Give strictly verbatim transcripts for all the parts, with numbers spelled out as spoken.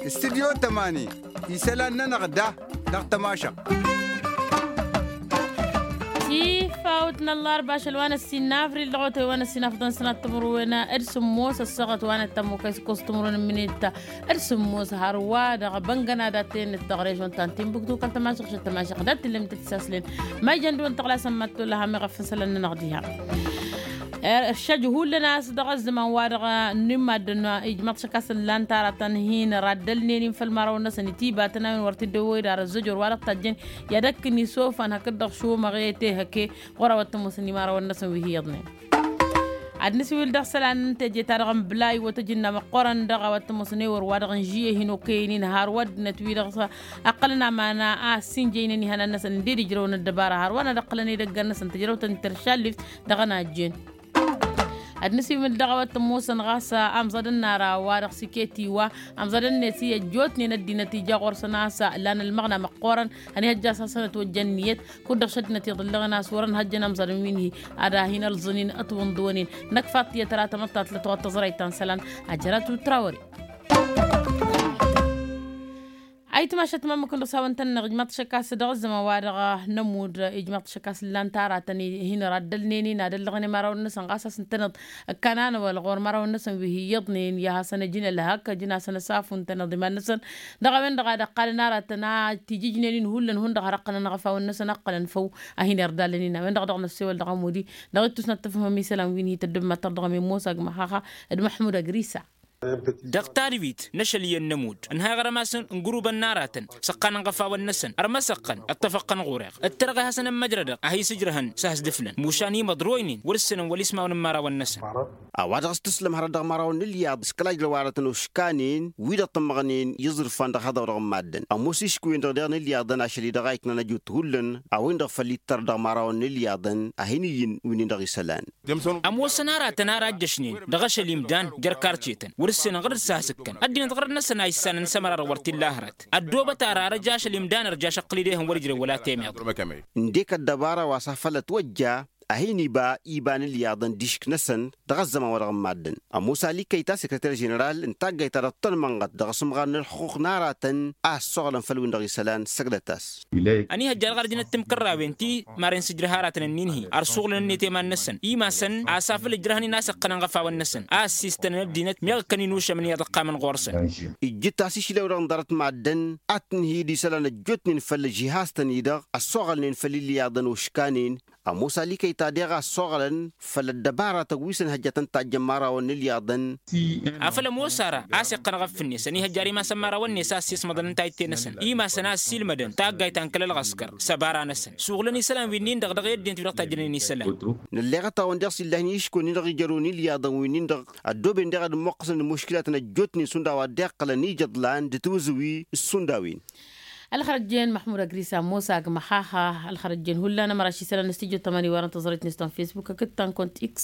Studyo tămani isălan-nănăɣ da dăɣ-tămašăɣt. Tifawt n-ăllarba ašăl wa n-ăssin n-avril dăɣ-otăy wa n-ăssin afḍăn sănat timǝrwen d-sǝmmos ăssaɣăt wa n-ăttămokăy s-ǝkkos timǝrwen n-minit d-sǝmmos hărwa dăɣ-băngăna dat-tăyănnăt dăɣ-režon ta n-timbuktu kăl-tămašăɣ šăt tămašăɣ dat-tǝllem tăt-saslen. Ma ijăn dăɣ-wăn tăɣlasăn mad-tolla ham iɣăffăn isălan-nănăɣ diha. Ăršăj hullan a-s dăɣ-ăzzăman wa dăɣ-nimmaddăn ijmăḍ šăkasăn lan taratăn hin-raddălnen-in făll-imărawăn-năsăn itibatăn a-wen wăr t-dd-ăwwăy d-ar ăzzăjor wa dăɣ-tajjăn i-ad-ăkk n-isofan hakd-dăɣ šomăɣ i-tehăke ɣur-a-wa t-ămoosăn imărawăn-năsăn wi hi-iyyăḍnen. Ad-nǝsǝwǝl dăɣ-isălan n-teje-ta-dăɣ n-bǝlay wăr tăjǝnna măqqoorăn dăɣ-a-wa t-ămoosăn ewăr wa dăɣ-n žiyye hin-okăyăn-in har wăr dd-nătwi dăɣ-s ăqqălăn aman a ăssiinjăynăn ihănan-năsăn ǝnded ijrăwăn ăddăbara har wa n-ad-ăqqălăn edăggan-năsăn tǝjrăwt-ănnin teršallift dăɣ-ănajjen. Ad-nǝsǝwǝl dăɣ-a-wa t-ămoosăn ɣas amẓad ănnara wa dăɣ-s iket iwa amẓad ănnet i-ăjjootnen ăddinăt ija ɣur-săn a-s lan ălmăɣna măqqoorăn ănihăjja a-s hasăn-ătwăjja ǝnniyăt kud-dăɣ šăddinăt iḍǝllăɣen a-s wăr-ănhăjjăn amẓad n-wi n-hi ad-hin-ălẓǝn-in ătwǝnḍǝwăn-in. Năkk faḍt tiyyăt ra tamăḍtat lătwăt tăẓrayt ta n-isălan. Ajărat wi t-ra wăren. Ayǝtmašăt ma ǝmmǝk n-dăɣ-s hawăn-tăn-năɣ ijmaḍ-t šăkkas dăɣ-ăzzăman wa dăɣ-nămud ijmaḍ-t šăkkas ǝllan taratăn hin-ăraddălnen-in ad-ăllăɣnen imărawăn-năsăn ɣas a-s ǝntăneḍ ǝkkan anăwăl ɣur-imărawăn-năsăn wi hi-iyyăḍnen i-ad-hasăn-ăjǝn ălhăk ăjǝn-asăn ăsafu ǝntăneḍ iman-năsăn. Dăɣ-a-wen-dăɣ ad-ăqqalăn aratăn a tijǝjnen-in hullan hundăɣ har ăqqălăn ăɣăfawăn-năsăn ăqqălăn făw a hin-irdalăn-in a-wen-dăɣ dăɣ-năssewăl dăɣ-ămudi. Dăɣ-ittus n-ad-tǝfhǝmăm isălan wi n-hi-tăddǝbmăttăr dăɣ-ămemmos agmăxaxa d-măḥmud agrisa. Dăɣ-tadbit n-ašăl iyyăn n-ămudd ǝnhayăɣ rămasăn n-gurubăn n-aratăn s-ăqqanăn iɣăfawăn-năsăn ărmăsăɣ-tăn ǝṭṭăfăɣ-tăn ɣur-eɣ ǝttărăɣ i-hasăn-ămmăjrădăɣ a hi-sǝjrăhăn s-ahǝsdǝflăn mušan imăḍroynen wăr-ǝssǝnăn wăl-ismawăn n-imărawăn-năsăn. A-wa dăɣ-s tǝslăm hărăt dăɣ-imărawăn n-ǝlyaḍ s-kăla ǝjrăw aratăn oškanen wi-dăɣ tǝmmăɣnen i-iẓrǝfan dăɣ-haḍăw dăɣ-n maddǝn ămoos išk'-wen-dăɣ daɣ n-ǝlyaḍăn ašăl-i-dăɣ a iknan ăjut hullan a-wen-dăɣ făll-ittăr dăɣ-imărawăn n-ǝlyaḍăn a hin-iyyǝn wi-nin-dăɣ isălan. Ămoosăn aratăn ara ăjjăšnen dăɣ-ašăl imdan jer-karcetăn wăr-ǝssenăn ɣărăt s-ad-has-ǝkkăn ăddinăt ɣărăt-năsăn a issanăn s-ămăra-dăɣ wăr t-illa hărăt. Ăddoobăt ara ar ăj ašăl imdan ărjaš ăqqǝl-dd ehăn wăr-ǝjrewăl a temeḍ. Ǝndek ăddăbara wa s-afălăt wăjja a hin-iba iba n-ǝlyaḍăn d-išk-năsăn dăɣ-ăzzăman wa dăɣ-n maddǝn. Ămoos alikăyta sekreter ženeral n-taggayt ta dăɣ-tănmănɣăt dăɣ-asǝmɣar n-ǝlxuqq n-aratăn a ăssoɣlăn făll-win-dăɣ isălan săgdăt-as. Ăniihăjja dăɣ-ărdinăt timkărrawen ti maren sǝjrăh aratăn ǝnnin-hi ărsuɣlăn-net i-iman-năsăn imasăn a-s afăl ǝjrăhăn-in a-s ǝqqănăn iɣăfawăn-năsăn a ăssiistănăn ăddinăt meɣ ǝkkăn-in ušămăn iyyăḍ ǝqqamăn ɣur-săn. Ijjǝt-as išlewăr-dăɣ n-ḍarăt maddǝn ad-tǝnhǝy d-isălan ăjjootnen făll-žihaz-tăn-i-dăɣ ăssoɣălnen făll-ilyaḍăn oškanen. Ămoos alikăy ta deɣ a ăssoɣălăn făll-ăddăbaratăn wi s-ănhăjjătăn tajjăn imărawăn n-ilyaḍăn. Afăl ămoos ara a-s iqqăn aɣăff-net ăniihăjjar imasăn imărawăn-net a ăssiismăḍăn n-tayǝtte-năsăn imasăn a ăssiilmădăn taggayt ta n-kăl-ălɣăskăr s-ăbara-năsăn suɣǝlăn isălan wi-nin-dăɣ dăɣ-i ăddinăt wi dăɣ-tajjănen isălan. Nălleɣăt-awăn deɣ s-illăhnen iškăwăn-in-dăɣ ijărrăwăn ilyaḍăn wi-nin-dăɣ ăddooben deɣ ad-ǝmmoqqăsăn d-imuškilatăn ăjjootnen šund a-wa dd-iqqălăn ijăḍlan d-tiwǝzǝwi s-šund a-wen. Ălxărăjjen măḥmud agrisa ămoos agmăxaxa ălxărăjjen hullan ămăraš isălan n-studyo tămani wărăn tăẓrăyt-net ta n-fesbuk hakd ta n-kont x.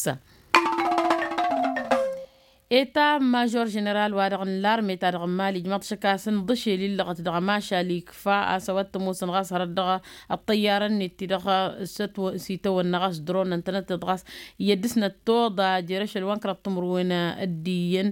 Eta mažor ženeral wa-dăɣ n-larme-ta-dăɣ n-mali ǝjmăḍ šăkasăn ḍǝšel illăɣăt dăɣ-ămašal ikfa a-s a-wa t-ămoosăn ɣas hărăt dăɣ-ăṭṭăyyarăn-net ti-dăɣ s-itawănna ɣas dronăn tănătteḍ ɣas iyyăt dăɣ-snăt toḍa jer-ašăl wa n-kăraḍ timǝrwen d-iyyăn.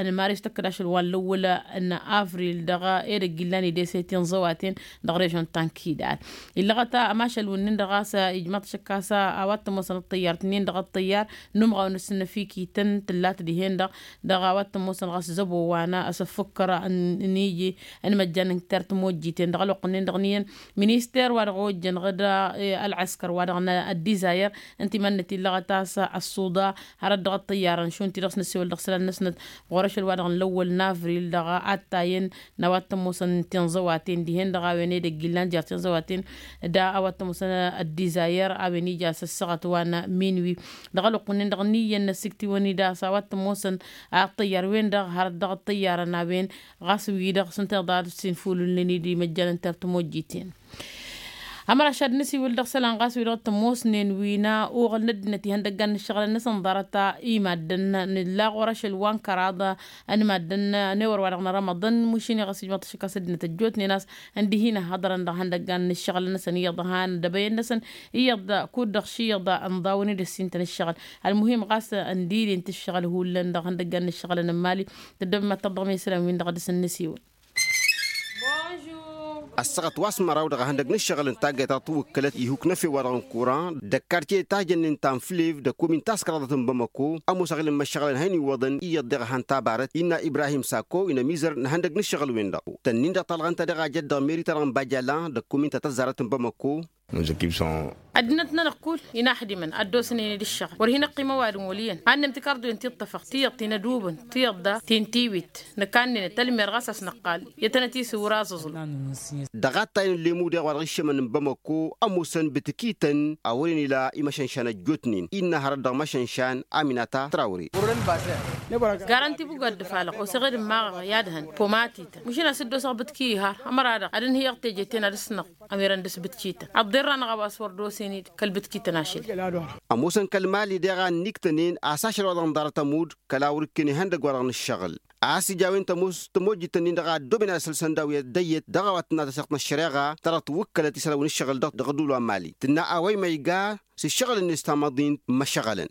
Ănmar istăkkăd ašăl wa n-lăwwăl n-avril dăɣ-edăgg illan idese tinẓăwaten dăɣ-režon tankidal. Illăɣăt ămašăl-wǝnnin-dăɣ ɣas ijmăḍ šăkkas a-wa t-ămoosăn ăṭṭăyyar-tǝnnin-dăɣ ăṭṭăyyar n-umɣaw n-asǝnnăfikităn tǝllat dihen-dăɣ dăɣ-a-wa t-ămoosăn ɣas zăbo wa n-asǝffǝkkăr n-iji n-imăjjan n-tert timojjiten dăɣ-ălwăqq-nin-dăɣ n-iyyăn minister wa dăɣ-ojjăn ɣǝd ălɣăskăr wa dăɣ-n ăddizayăr ǝnta iman-net illăɣăt a-s ăṣṣuḍa hărăt dăɣ-ăṭṭăyyarăn šund ti-dăɣ s-năssewăl dăɣ-isălan-năsnăt ɣur-ašăl wa dăɣ-nǝlăwwăl n-avril dăɣ-attayăn n-a-wa t-ămoosăn tinẓăwaten dihen-dăɣ a-wen edăgg illan jer-tinẓăwaten d-a-wa t-ămoosăn ăddizayăr a-wen ija s-ăssaɣăt wa n-minwi. Dăɣ-ălwăqq-wǝnnin-dăɣ n-iyyăn n-ăssiktǝwăn-dd a-s a-wa t-ămoosăn ăṭṭăyyar-wen-dăɣ hărăt dăɣ-ăṭṭăyyarăn a-wen ɣas wi-dăɣ s-ǝnta iḍa ad-sinfulǝlnen-dd imăjjan n-tertǝmojjiten. Ămăraš ad-nǝsiwǝl dăɣ-isălan ɣas wi-dăɣ t-ămoosnen wi n-uɣǝl n-ăddinăt ihăndăggan n-ǝššăɣǝlăn-năsăn ḍarăt. Imaddǝn nǝlla ɣur-ašăl wa n-kăraḍ n-imaddǝn n-ewăr-wa-dăɣ n-rămăḍăn mušin i-ɣas ijmăḍ-t ašǝkkas ăddinăt ăjjootnen a-s ǝndihǝyna hăḍrăn dăɣ-ihăndăggan n-ǝššăɣǝlăn-năsăn iyyăḍ han d-ebăyăn-năsăn iyyăḍ kud-dăɣ ši iyyăḍ ǝnḍawăn-dd ăssintăn ǝššăɣǝl. Ălmuhim ɣas ǝndilin-t ǝššăɣǝl hullan dăɣ-ihăndăggan n-ǝššăɣǝlăn n-imali. Tăddobem ad-tăḍḍăɣ mi-isălan-win-dăɣ a dăɣ-săn nǝsiwǝl. Ăssaɣăt wa s-măraw dăɣ-ehăndăg n-ǝššăɣǝl n-taggayt ta tǝwwǝkkălăt ihuk n-efew-wa-dăɣ n-kuran d-ăkkartiye tajănnen ta n-flev d-ăkkomin taskăraḍăt n-bamăko. Ămoos aɣǝlăn imăššăɣǝlăn ha ăniwwăḍăn iyyăḍ deɣ a han-tabarăt innă ibrahim sako inămizăr n-ehăndăg n-ǝššăɣǝl-wen-dăɣ. Tănnin-dăɣ talɣa ǝnta deɣ a jăt dăɣ-meri-ta-dăɣ n-bajala d-ăkkomin ta tăzzarăt n-bamăko. Ăddinăt-nănăɣ kull-in a ăxdimăn ad-dd-osnen d-ǝššăɣǝl wăr hin-ăqqim ăwadǝm wăl' iyyăn. Ad-nǝmtǝk arḍuwen ti ǝṭṭăfăɣ tiyyăḍ ti n-ad-ubǝn tiyyăḍ da ti n-tiwit. Nǝkannenăt ălmer ɣas a-s năqqal i-ad-tăn-ătisǝw wăr-aẓǝẓǝl. Dăɣ-attay n-lemmu deɣ wa dăɣ-iššămăn n-bamăko ămoosăn bǝtǝkităn a wăren ila imăšănšan ăjjootnen innă hărăt dăɣ-imăšănšan aminata trawre. Garanti bugad d-falăɣ oseɣed n-maɣăɣ i-ad-hăn pomatităn mušin a-s dd-osăɣ bǝtki ihar ămăra-dăɣ ad-ǝnhǝyăɣ teje-ten ad-ǝsnăɣ. Ămirăn dăɣ-s bǝtkităn ăḍḍirra-năɣ a-wa s-wăr dd-osen-dd kăl-bǝtkităn ašăl. Ămoosăn kăl-mali deɣ a ǝnniktănen a-s ašăl wa dăɣ-nǝḍarăt ămudd kăla wăr-ǝkken ihăndăgg wa dăɣ-nǝššăɣǝl. A-s ija a-wen tămoos tămojjit-nin-dăɣ a ăddooben ad-ăsălsăn daw-i ăddăyyăt dăɣ-a-wa tǝnna tăseɣt n-ăššăreɣa ta dăɣ-tǝwwǝkkălăt isălan wi n-ǝššăɣǝl dăɣ-ăddul wa n-mali tǝnna a-wa imăyga s-ǝššăɣǝl-net tamăḍint. Măšăɣălăn.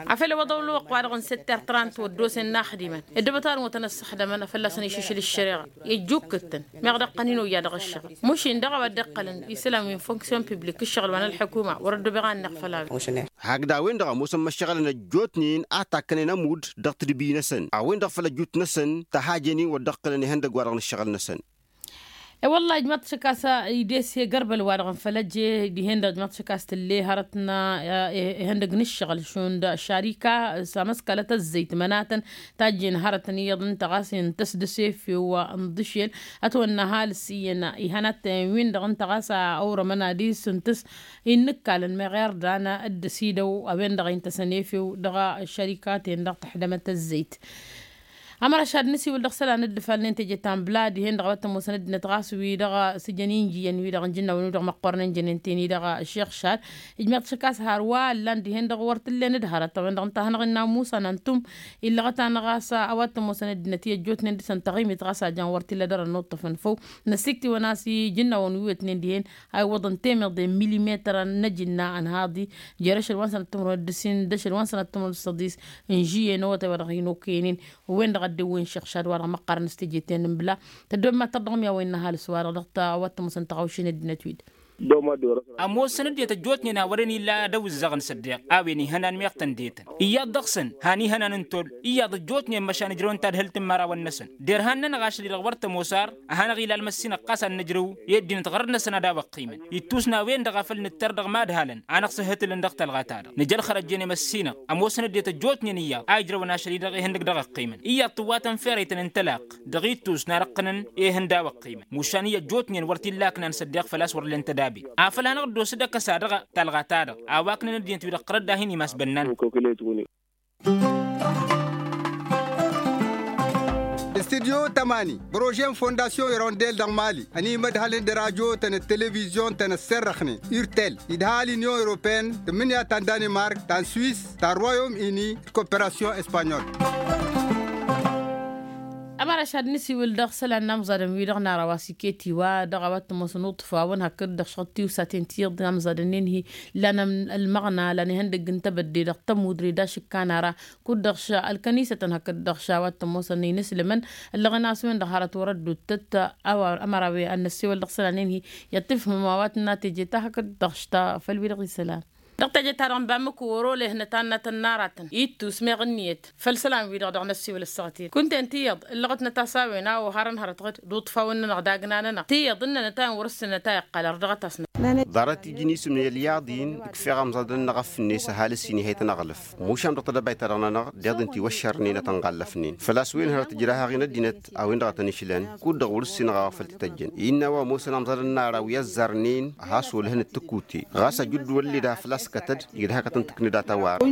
Afăl ăwăḍăw ălwăqq-wa-dăɣ n-sătter trant wăr dd-osen inaxdimăn ăddăbăt a-wen wătăn-ăssăxdămăn a fălla-săn išǝšǝl ǝššăreɣa i-ăjjukkǝttăn. Meɣ dd-ăqqăn hin-oyya dăɣ-ǝššăɣǝl mušin dăɣ-a-wa dd-iqqălăn isălan wi n-fonksyon piblik ǝššăɣǝl wa n-ălḥukuma wăr-ăddobeɣ a ǝnneɣ făll-a-wen. Hakd a-wen-dăɣ ămoosăn imăššăɣălăn ăjjootnen a takkănen ămudd dăɣ-tǝdbi-năsăn a-wen-dăɣ făll-ăjut-năsăn tăhajăn-in wăr dd-ăqqǝlăn ihăndăgg-wa-dăɣ n-ǝššăɣǝl-năsăn. E-wălla ijmaḍ-t šăkkas idese gărbăl-wa-dăɣ n-făl ăjje dihen-dăɣ ijmaḍ-t šăkkas tǝlle hărăt n-ihăndăgg n-ǝššăɣǝl šund šarika s-amăskalăt ăzzăyt mănatăn tajjen hărătăn iyyăḍ ǝnta ɣas intăs dăr-s efew n-iḍǝšel. Ătwănna ăhalǝs iyyăn ihănattăyăn-win-dăɣ ǝnta ɣas a orămăn ad-isǝntǝs innǝkkalăn meɣ irdan d-ăsidăw a-wen-dăɣ intăsăn efew dăɣ-šărikaten-dăɣ tăḥdămăt ăzzăyt. Ămăra šad n-asiwǝl dăɣ-isălan dd-ǝfalnen teje ta n-bla dihen-dăɣ a-wa t-ămoosăn ăddinăt ɣas wi-dăɣ sǝjăn injǝyăn wi-dăɣ n-jǝnnawăn wi-dăɣ măqqornen jănen-ten-i-dăɣ. Šeɣ šad ijmeɣ-t šăkkas har wa ǝllan dihen-dăɣ wăr t-ǝllen d-hărăt a-wen-dăɣ ǝnta a hanăɣ-innă musa n-antǝm illăɣăt-anăɣ a-s a-wa t-ămoosăn ăddinăt i-ăjjootnen dăɣ-săn taɣimit ɣas a jan wăr t-illa dăr-ănnuṭṭăf n-făw. Năssiktǝwăn a-s ijǝnnawăn wi wetnen dihen a iwwăḍăn temeḍe n-milimetăr n-ajǝnna ănhaḍ-i jer-ašăl wa n-sănăt timǝrwen d-ǝssin d-ašăl wa n-sănăt timǝrwen d-săḍis n-žuye n-awătay wa dăɣ-hin-okăynen. Wen-dăɣ a dd-ewwen šeɣ šad wa dăɣ-măqqărăn s-teje-ten n-bla. Tăddoobem ad-tăḍḍăɣ mi-a-wa innă ăhalǝs wa-dăɣ dăɣ-ta a-wa t-ămoosăn tăɣawšen ăddinăt-wi-dăɣ. Ămoosăn ăddinăt ăjjootnen a wăren illa d-awǝzzăɣăn s-ăddeɣ a-wen ihănan meɣ tăn-detăn iyyăḍ dăɣ-săn han ihănan n-toll iyyăḍ ăjjootnen măšan ǝjrăwăn tadhǝlt n-imărawăn-năsăn. Derhan-nănăɣ ašăl-i-dăɣ wăr tămoos ar ăhanăɣ-ila almăssinăɣ ɣas ad-nǝjrǝw i-ăddinăt ɣărăt-năsăn ad-awăqqimăn ittus n-a-wen-dăɣ a făl nǝttăr dăɣ-imadhalăn. Anăɣ-sǝhhǝtǝlăn dăɣ-talɣa-ta-dăɣ nǝja ălxărăt jen i-măssinăɣ. Ămoosăn ăddinăt ăjjootnen iyyăḍ a ijrăwăn ašăl-i-dăɣ ihăndăg dăɣ-ăqqimăn iyyăḍ tǝwwatăn ferăytăn n-tălaqq dăɣ-ittus n-ad-ăqqǝnăn. Ehăn d-a-wăqqimăn mušan i-ăjjootnen wăr t-illa ăknan s-ăddeɣ făl-a-s wăr ǝllen tădabe. Afăl hanăɣ-dd-osăd akăs-a-dăɣ talɣa-ta-dăɣ a-wa ǝknăn ăddinăt-wi-dăɣ tărăt d-ad-hin-imasbănnan. Studyo tămani bărože n-fondasyon irondel dăɣ-mali ănimădhălăn d-rajo-tăn d-televizyon-tăn ăsserrăxnen irtel idha l-inyon europeyăn tǝmmǝnǝya ta n-danimark ta n-swis ta n-royom ini d-koperasyon espanyol. Ămăra šad n-asiwǝl dăɣ-isălan n-amẓadăn-wi-dăɣ n-ara wa s-iket iwa dăɣ-a-wa t-ămoosăn uṭṭǝfawăn hakd-dăɣ šăɣ tiwsaten tiyyăḍ amẓadăn-en-hi. Lan ălmăɣna lan ihăndăgg n-tebădde dăɣ-tămudre d-ašǝkka n-ara kud-dăɣ š-ălkănisătăn hakd-dăɣ š-a-wa t-ămoosăn inǝslǝmăn. Ǝllăɣăn a-s wen-dăɣ hărăt wăr-ădduttăt. A-wa ămăra wi ad-năssewăl dăɣ-isălan-en-hi i-ad-tǝfhǝmăm a-wa tǝnna teje ta hakd-dăɣ š-ta făll-wi-dăɣ isălan. Dăɣ-teje-ta-dăɣ n-bamǝk wăr-olehnăt annătăn n-aratăn ittus meɣ ǝnniyăt făll-isălan-wi-dăɣ dăɣ-năssiwǝl ăssaɣăt-i-dăɣ kunta-en tiyyăḍ ǝllăɣătnăt a-s a-wen a oharăn hărăt ɣǝd d-uṭṭfawăn-nănăɣ d-agna-nănăɣ tiyyăḍ ǝnnănăt a-wen wăr-ǝssǝnnăt a iqqal ărdăɣăt-asnăt. Ḍarăt iji n-isǝm n-elyaḍ-in ǝkfeɣ amẓadăn-nănăɣ a fǝnne-s ăhalǝs-in ihăyt ănăɣlǝf mušan dăɣ-tedăbayt-ta-dăɣ-nănăɣ deḍ-in tiwăššărnen ad-tăn-ɣallăfnen făl-a-s wen hărăt ǝjrahăɣ-in ăddinăt a-wen-dăɣ a tăn-išlăn kud-dăɣ wăr-ǝssinăɣ a-wa făl t-tăjjăn innă a-wa ămoosăn amẓadăn n-ara wi ăzzarnen. Has-olăhăn d-tăkute ɣas ajǝdduwăl-led a făl-a-s Kătăd idhakăt n-tǝknǝda tăwară.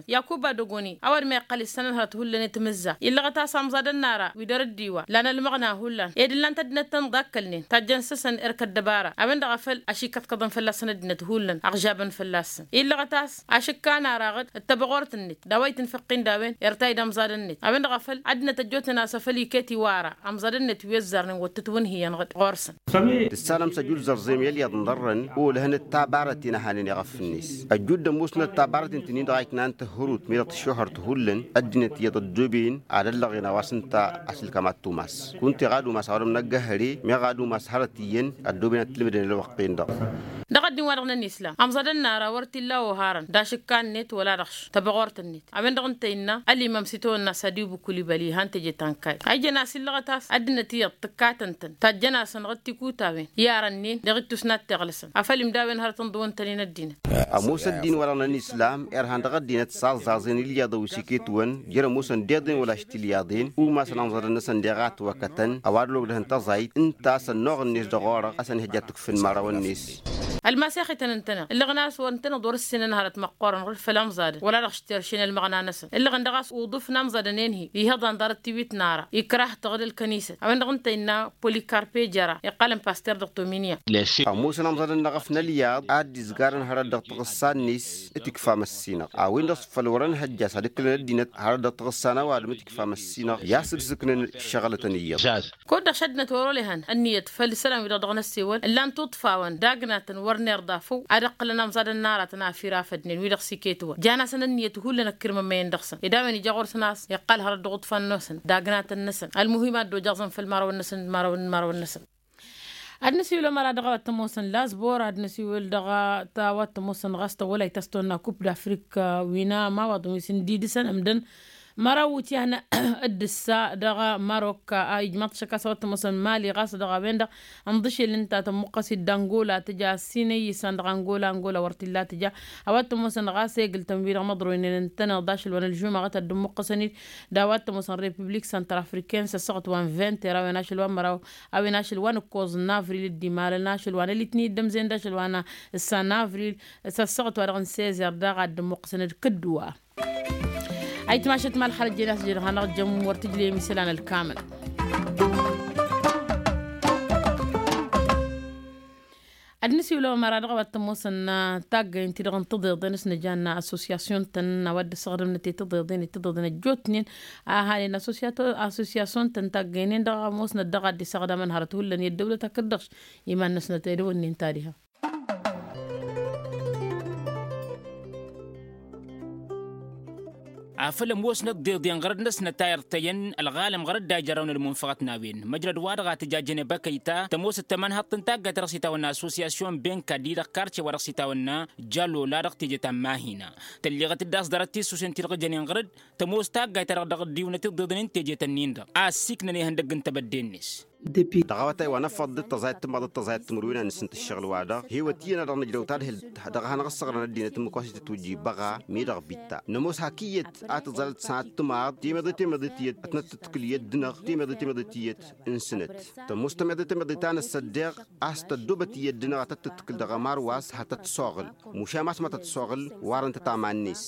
Yakuba dogoni a-wa d-meqqăl issănăn hărăt hullan i-timǝzza illăɣăt a-s amẓadăn n-ara wi dăr-dd-iwa lan ălmăɣna hullan ed ǝllan-t ăddinăt tănḍa ăkkălnen tajjăn s-săn erk ăddăbara a-wen-dăɣ a făl ašikăḍkăḍăn fălla-săn ăddinăt hullan ăɣžabăn fălla-săn illăɣăt a-s ašǝkkan ara ɣǝd d-tăbɣort-net d-a-wa itǝnfăqqin d-a-wen irtay d-amẓadăn-net a-wen-dăɣ a făl ăddinăt ăjjootnen a-s a făl iket iwara amẓadăn-net wi ăzzarnen wăr tǝtwǝnhǝyăn ɣǝd ɣur-săn. Tǝssanăm s-ăjulzăr zem i-ălyaḍ n-iḍărrăn olăhăn d-tabarăt ti n-ăhanen iɣăf ǝnne-s ăjjud d-ămoosnăt tabarăt-in-tǝnnin-dăɣ a iknan tǝhhărut mi-dăɣ tǝššuhăr tǝhullăn ăddinăt iyyăḍ ăddooben ad-ăllăɣen a-wa s-ǝnta a-s ǝlkam ad-tumas kunta iɣad umas a-wa dăɣ-năggăhăre meɣ ad-umas hărăt iyyăn ăddooben ad-t-ǝlmǝdăn ălwăqq-en-dăɣ. Dăɣ-ăddin-wa-dăɣ n-ănislam ămẓadăn n-ara wăr t-illa oharăn d-ašǝkka-net wăla dăɣ-š tăbɣort-net a-wen-dăɣ ǝnta innă ălimăm s-itawănna s-adibu kulibăli han teje ta n-kayy a ijăn a-s illăɣăt a-s ăddinăt iyyăḍ tǝkkatăn-tăn tajjăn-asăn ɣǝd tikutawen i-arănnen dăɣ-ittus n-ad-t-iɣlǝsăn afăl imdawen hărăt ǝnḍǝwăn-tăn-in ăddinăt. Ămoos ăddin-wa-dăɣ n-ănislam irhan dăɣ-ăddinăt s-aẓẓaẓen ilyaḍăn wi s-iket-wăn jer-ămoosăn d-iḍen wăla š-tilyaḍen umasăn amẓadăn-năsăn deɣ a ătwăkătăn ăwadǝl ogdăhăn tăẓayt ǝnta a-s ănnuɣ-net dăɣ-orăɣ a-s ănihăjja ad-t-ǝkfǝn imărawăn-net. Ălmasex-ităn ǝntăneḍ ǝllăɣăn a-s wăr ǝntăneḍ wăr-ǝssinăn hărăt măqqoorăn ɣǝd făll-amẓadăn wăla-dăɣ š-terše n-ălmăɣna-năsăn ǝllăɣăn dăɣ-a-s uḍǝf n-amẓadăn-en-hi ihăḍan ḍarăt tiwit n-ara ikrah-t ɣǝd ălkănisăt a-wen-dăɣ ǝnta innă polikarpe jăra iqqalăn paster dăɣ-tominya. Ămoosăn amẓadăn n-eɣăf n-ălyaḍ a dd-izgarăn hărăt dăɣ-taɣǝssa-net. Tikfa măssinăɣ a-wen-dăɣ s-făl wăr-ănhăjja a-s ad-ǝklăn ăddinăt hărăt dăɣ-taɣǝssa n-ăwadǝm tikfa măssinăɣ i-a-s ǝrsǝknăn. Ǝššăɣǝlătăn iyyăḍ. Kud-dăɣ šăddinăt wăr-olăhăn ǝnniyăt făll-isălan-wi-dăɣ dăɣ-năssewăl ǝllan-t uḍfawăn d-agnatăn wăr nerḍa făw ad-ǝqqǝlăn amẓadăn n-aratăn a fir afădnen wi-dăɣ s-iket-wăn jan-asăn ǝnniyăt hullan ăkkirmămăyăn dăɣ-săn ed a-wen ija ɣur-săn a-s iqqal hărăt dăɣ-uḍfan-năsăn d-agnatăn-năsăn ălmuhim ad-dd-ojăẓăn făll-imărawăn-năsăn d-imărawăn n-imărawăn-năsăn. Ad-năsiwǝl ămăra dăɣ-a-wa t-ămoosăn lazbor ad-năsiwǝl dăɣ-a-wa t-ămoosăn ɣas tăwwălay ta s-tonna kup d-afrik wi n-amawaḍăn wi s-indidǝsăn ǝmdăn măraw wǝtyan d-ǝssa dăɣ-marok a ijmaḍ-t šăkk a-s a-wa t-ămoosăn mali ɣas dăɣ-a-wen-dăɣ ǝnḍǝšel ǝnta tămmuqqăs-dd angola tǝja ăssinăy isan dăɣ-angola angola wăr t-illa tǝja. A-wa t-ămoosăn ɣas egǝl-tăn wi-dăɣ măḍroynen ǝntăneḍ d-ašăl wa n-ălžumăɣăt ad-dd-ămmuqqăsăn-dd d-a-wa t-ămoosăn republik săntrafriken s-ăssăɣăt wa n-vinter a-wen ašăl wa n-măraw a-wen ašăl wa n-ǝkkoẓ n-avril dd-imalăn ašăl wa n-alitni dd-ămzen d-ašăl wa n-ǝssa n-avril s-ăssăɣăt wa dăɣ-n sezer daɣ ad-dd-ămmuqqăsăn d-kǝddǝwa. Ayǝtmašăt ma ălxalăt jen a-s jed hanăɣ-jăm wăr tǝjlem isălan ălkamăl. Ad-nǝsiwǝl ămăra dăɣ-a-wa t-ămoosăn taggayen-ti-dăɣ n-tiḍeḍen s-nǝjan associasyon-tăn a-wa dd-ăssaɣdămnăt i-tiḍeḍen i-tiḍeḍen ăjjootnen a hanen associasyon-tăn taggayen-en-dăɣ ămoosnăt dăɣ-a dd-isaɣdamăn hărăt hullan i-ăddăwlăt hakd-dăɣ iman-năsnăt edăwănnen ta diha. Afăl ămoosnăt d-iḍen ɣărăd-năsnăt a irtăyăn ălɣalăm ɣărăd a ijărrăwăn ălmunfăɣăt n-a-wen măjrăd-wa-dăɣ a tǝjajăn i-băkăyta tămoosăt tămănhăḍt n-taggayt ta dăɣ-s itawănna associasyon benka-di dăɣ-karce wa dăɣ-s itawănna. Jallola dăɣ-teje ta n-mahina tălleɣăt-dd a-s ḍarăt tisusen ti-dăɣ jănen ɣărăd tămoos taggayt-ta-dăɣ dăɣ-dd-iwnăt iḍeḍăn n-teje-tăn-in-dăɣ a ăssiiknăn ihăndăgg n-tebădde-net. Dăɣ-awătay wa năffăḍ d-tăẓayăt tǝmmaḍ d-tăẓayăt timǝrwen a nǝsǝnt ǝššăɣǝl-wa-dăɣ hewăt iyyăn a dăɣ-nǝjrăw tadhǝlt dăɣ-a hanăɣ-ǝssăɣrăn ăddinăt ǝmmǝk wa s-itǝtwǝjji băɣa mi-dăɣ bitta nămoos hak iyyăt a tǝẓalăt sănat tǝmaḍ temeḍe temeḍe tiyyăt ad-tăn-tǝtkǝl i-ăddinăɣ temeḍe temeḍe tiyyăt n-sănăt tămoos temeḍe temeḍe ta n-ăssăddeɣ a-s tăddoobăt i-ăddinăɣ ad-tăt-tǝtkǝl dăɣ-ămar wa s-ha tăt-soɣǝl mušam a-s ma tăt-soɣǝl warăn-tăt aman-net.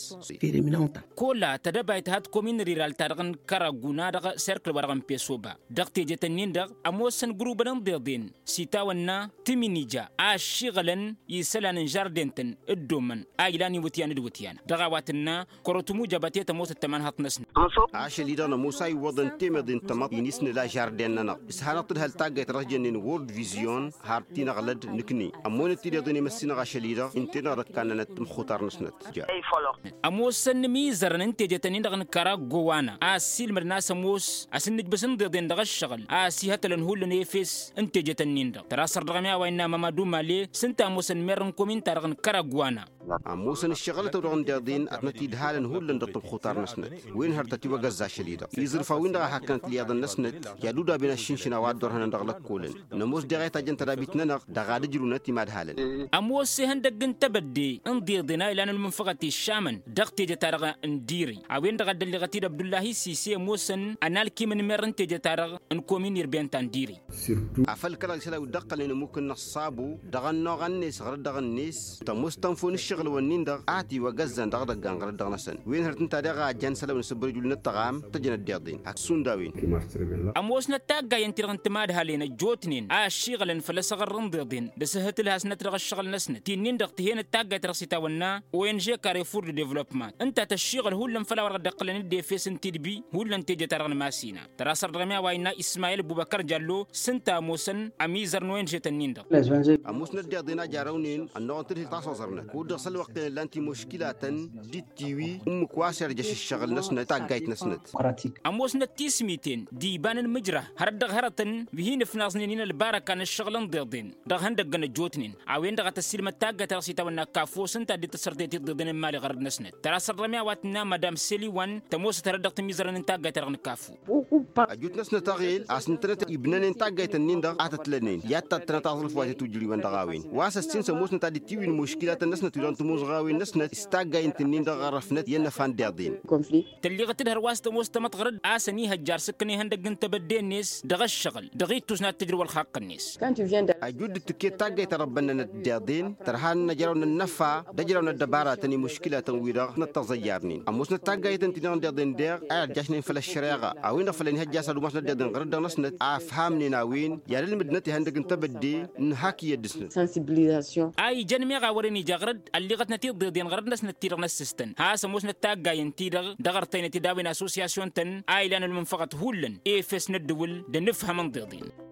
Kola tădăbayt ha t-komin riral-ta-dăɣ n-kăraguna dăɣ-serkǝl-wa-dăɣ n-pesoba dăɣ-tejet-ǝnnin-dăɣ ămoosăn gǝrubăn n-iḍeḍen s-itawănna tǝminija a ăššiɣălăn isălan n-žarden-tăn dd-omăn a ilan iwǝtyan d-iwǝtyan dăɣ-a-wa tǝnna kărotǝmujăbăt i-tămoosăt tămanhăḍt-năsnăt. Ašăl-i-dăɣ nămoos a iwwăḍăn temăḍe n-tămăḍt-i n-isnǝla žarden-nănăɣ s-hanăɣ-tǝdhăl taggayt ta dăɣ-s jănnen word vizyon har t-inăɣlăd nǝkne ămmonăt tideḍen i-măssinăɣ ašăl-i-dăɣ ǝnta-i-dăɣ d-ăkkanănăt tămxutar-năsnăt. Ămoosăn imizărăn n-tejet-ǝnnin-dăɣ n-kăragowana a ăssiilmădăn a-s ămoos a-s ǝnnǝjbǝs n-iḍeḍen dăɣ-ǝššăɣǝl a ăsihătălăn hullan efes n-tejet-ǝnnin-dăɣ tăra săr dăɣ-mi a-wa innă mamadu male s-ǝnta ămoosăn merr n-komin-ta-dăɣ n-kăragowana. Ămoosăn ǝššăɣǝlăt-ăw-dăɣ n-deḍen ad-năt-idhalăn hullan dăɣ-tămxutar-năsnăt wen hărătăt iwăgăzza ašăl-i-dăɣ iẓrǝf a-wen-dăɣ a hakkănăt ălyaḍăn-năsnăt i-ad-udaben aššǝnšǝna wa dd-orhănăn dăɣ-lăkkolăn. Nămoos deɣ a itajjăn tădabit-nănăɣ dăɣ-ad-ǝjrǝwnăt i-imadhalăn. Ămoos ihăndăgg n-tebădde n-iḍeḍen a ilan ălmunfăɣăt iššamăn dăɣ-teje-ta-dăɣ n-diri a-wen-dăɣ a dd-ălliɣăt-dd abdullahi sise ămoosăn ănalkim n-merr n-teje-ta-dăɣ n-komin irben ta n-diri. Afăl kăl-isălan wi dd-ăqqălnen ămmuk-năɣ s-sabo dăɣ-ănnuɣ-net ɣărăt dăɣ-net tămoos tănfo n-ǝššăɣ. ǝššăɣǝl-wăn-in-dăɣ a tiwăgăzzan dăɣ-idăggan ɣărăt dăɣ-năsăn wen hărăt ǝnta daɣ a jan isălan n-asǝbbărăj wullan ăṭṭăɣam tăjăn ăddiḍen. Ak-sundawin. Ămoosnăt taggayen-ti-dăɣ n-timadhalen ăjjootnen a ăššiɣălăn făll-asăɣăr n-iḍeḍen d-asǝhhǝtǝlhasnăt dăɣ-ǝššăɣǝl-năsnăt ti-nin-dăɣ tǝhenăt taggayt-ta-dăɣ s-itawănna ong karefour de development ǝnta tăššiɣăl hullan făll-a-wa-dăɣ dd-iqqălăn d-efes n-tidbi hullan teje-ta-dăɣ n-masina. Tărasăr dăɣ-mi a-wa innă ismayil bubăkăr jallo s-ǝnta ămoosăn ămizăr n-ong-tăn-in-dăɣ. Ămoosnăt deḍen a jarăwnen ănnuɣăn tǝdhǝl tasoẓărnăt kud-dăɣ s-ălwăqq-en ǝllan timuškilatăn d-tiwi ǝmmǝk wa s-irjăš ǝššăɣǝl-năsnăt taggayt-năsnăt. Ămoosnăt tismiten d-iba n-ǝnmǝjrah hărăt dăɣ-hărătăn wi hin-ǝfnaẓnen-in ălbarăka n-ǝššăɣǝl n-deḍen dăɣ-ihăndăggăn ăjjootnen. A-wen-dăɣ a tăssiilmăd taggayt-ta-dăɣ s-itawănna kafos ǝnta a dd-tăssărtăyăt iḍeḍen n-imali ɣărăt-năsnăt. Tărasăr dăɣ-mi a-wa tǝnna madam seliwan tămoosăt hărăt dăɣ-tǝmmizărăn n-taggayt-ta-dăɣ n-kafo. Ăjut-năsnăt aɣel a-s ǝntănăt ibnănen taggayt-ǝnnin-dăɣ a tătlănen i-ad-tattănăt aẓrǝf wa tetwǝjrǝywen dăɣ-a-wen wa s-ăssin s-ămoosnăt ad-dd-tiwǝyǝn muškilatăn-năsnăt wi dăɣ-tămoẓɣawen-năsnăt s-taggay ǝnta-ǝnnin-dăɣ ɣărrăfnăt i-ănnăfa n-deḍen. Tălliɣăt-dd hărwa s-tămoos tamăḍɣărăd a-s ănihăjjar s-ǝkkăn ihăndăgg n-tebădde-net dăɣ-ǝššăɣǝl dăɣ-ittus n-ad-tǝjrǝw ălxaqq-net. Ăjud d-tǝkket taggayt ta dăɣ-bănnănăt deḍen tărha n-ăjraw n-ănnăfa d-ăjraw n-ăddăbaratăn i-muškilatăn-wi-dăɣ năttăẓăyyarnen ămoosnăt taggayt ǝnta-dăɣ n-deḍen deɣ a irjăšnen făll-ăššăreɣa a-wen-dăɣ făl ănihăjja a-s ad-umasnăt deḍen ɣărăt dăɣ-năsnăt a ǝfhamnen a-wen i-ad-ǝlmǝdnăt ihăndăgg n-tebădde n-hak iyyăt dăɣ-snăt. A ijăn meɣ a wărăn ija ɣărăd ălliɣătnăt iḍeḍen ɣărăt-năsnăt-ti-dăɣ n-ăssǝstăn has-ămoosnăt taggayen-ti-dăɣ dăɣ-ărtăynăt d-a-wen asosyasyun-tăn a ilan ălmǝnfăɣăt hullan efes n-ăddǝwǝl d-ănǝfhăm n-iḍeḍen.